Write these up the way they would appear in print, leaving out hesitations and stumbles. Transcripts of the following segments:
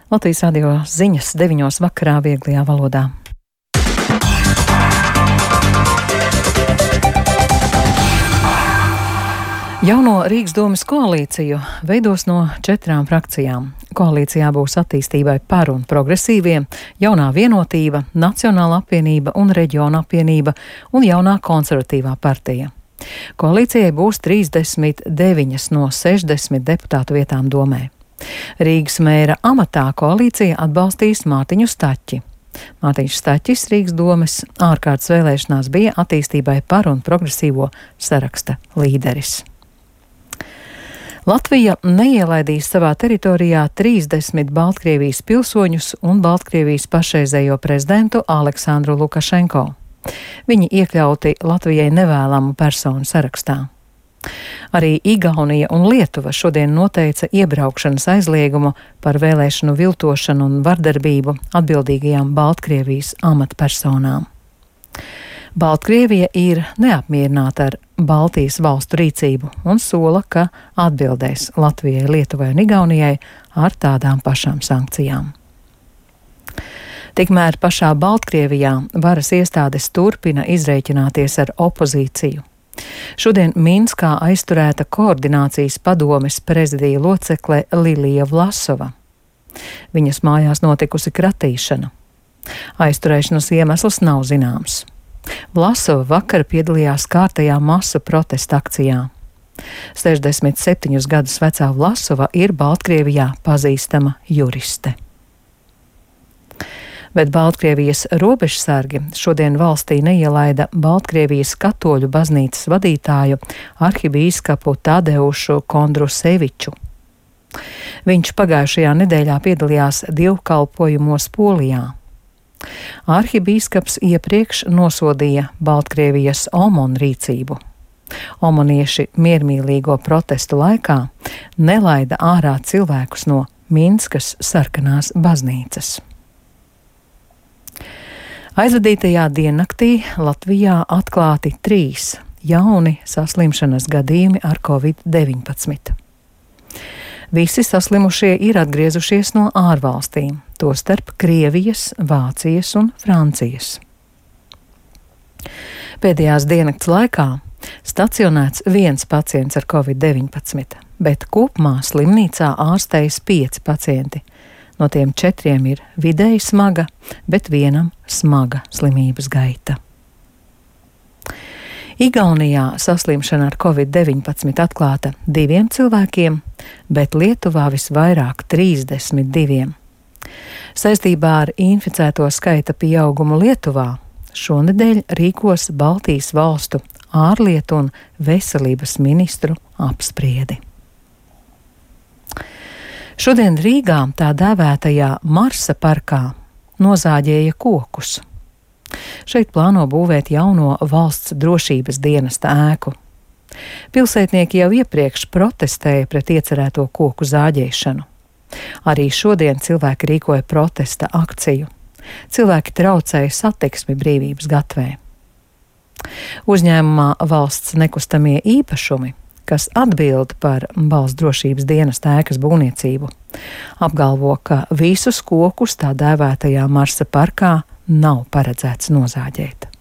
Latvijas radio ziņas 9 vakarā vieglajā valodā. Jauno Rīgas domes koalīciju veidos no 4 frakcijām. Koalīcijā būs attīstībai par un progresīvie, jaunā vienotība, Nacionāla apvienība un Reģiona apvienība un jaunā konservatīvā partija. Koalīcijai būs 39 no 60 deputātu vietām domē. Rīgas mēra amatā koalīcija atbalstīs Mārtiņu Staķi. Mārtiņš Staķis Rīgas domes ārkārtas vēlēšanās bija attīstībai par un progresīvo saraksta līderis. Latvija neielaidīs savā teritorijā 30 Baltkrievijas pilsoņus un Baltkrievijas pašreizējo prezidentu Aleksandru Lukašenko. Viņi iekļauti Latvijai nevēlamu personu sarakstā. Arī Igaunija un Lietuva šodien noteica iebraukšanas aizliegumu par vēlēšanu viltošanu un vardarbību atbildīgajām Baltkrievijas amatpersonām. Baltkrievija ir neapmierināta ar Baltijas valstu rīcību un sola, ka atbildēs Latvijai, Lietuvai un Igaunijai ar tādām pašām sankcijām. Tikmēr pašā Baltkrievijā varas iestādes turpina izrēķināties ar opozīciju. Šodien Minskā aizturēta koordinācijas padomes prezidija locekle Lilija Vlasova. Viņas mājās notikusi kratīšana. Aizturēšanas iemesls nav zināms. Vlasova vakar piedalījās kārtajā masu protesta akcijā. 67 gadus vecā Vlasova ir Baltkrievijā pazīstama juriste. Bet Baltkrievijas robežsargi šodien valstī neielaida Baltkrievijas katoļu baznīcas vadītāju arhibīskapu Tadeušu Kondruseviču. Viņš pagājušajā nedēļā piedalījās dievkalpojumos Polijā. Arhibīskaps iepriekš nosodīja Baltkrievijas omonu rīcību. Omonieši miermīlīgo protestu laikā nelaida ārā cilvēkus no Minskas sarkanās baznīcas. Aizvadītajā diennaktī Latvijā atklāti 3 jauni saslimšanas gadījumi ar Covid-19. Visi saslimušie ir atgriezušies no ārvalstīm, tostarp Krievijas, Vācijas un Francijas. Pēdējās diennakts laikā stacionēts 1 pacients ar Covid-19, bet kopumā slimnīcā ārstējas 5 pacienti. No tiem 4 ir vidēji smaga, bet 1 smaga slimības gaita. Igaunijā saslimšana ar Covid-19 atklāta 2 cilvēkiem, bet Lietuvā visvairāk 32. Saistībā ar inficēto skaita pieaugumu Lietuvā šonedēļ rīkos Baltijas valstu ārlietu un veselības ministru apspriedi. Šodien Rīgā tā dēvētajā Marsa parkā nozāģēja kokus. Šeit plāno būvēt jauno valsts drošības dienesta ēku. Pilsētnieki jau iepriekš protestēja pret iecerēto koku zāģēšanu. Arī šodien cilvēki rīkoja protesta akciju. Cilvēki traucēja satiksmi Brīvības gatvē. Uzņēmumā Valsts nekustamie īpašumi, kas atbild par valsts drošības dienesta ēkas būvniecību, apgalvo, ka visus kokus tā dēvētajā Marsa parkā nav paredzēts nozāģēt,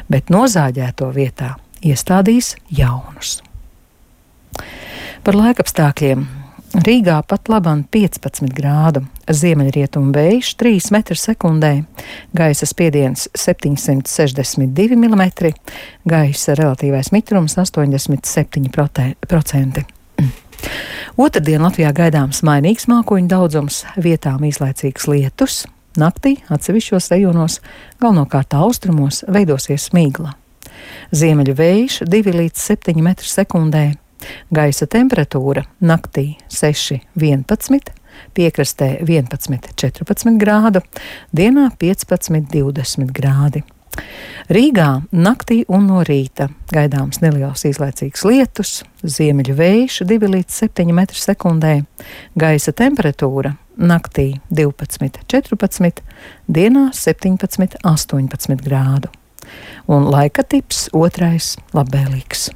bet nozāģēto vietā iestādīs jaunus. Par laikapstākļiem. Rīgā pat labam 15 grādu, ziemeļrietumu vējš 3 m/sekundē, gaisa spiediens 762 mm, gaisa relatīvais mitrums 87%. Otrdien Latvijā gaidāms mainīgs mākoņu daudzums, vietām īslaicīgs lietus. Naktī atsevišķos rajonos, galvenokārt austrumos, veidosies smīgla. Ziemeļu vējš 2 līdz 7 m/sekundē. Gaisa temperatūra naktī 6–11, piekrastē 11–14 grādu, dienā 15–20 grādi. Rīgā naktī un no rīta gaidāms neliels īslaicīgs lietus, ziemeļu vējš 2 līdz 7 m/sekundē, gaisa temperatūra naktī 12–14, dienā 17–18 grādu. Un laika tips otrais labvēlīgs.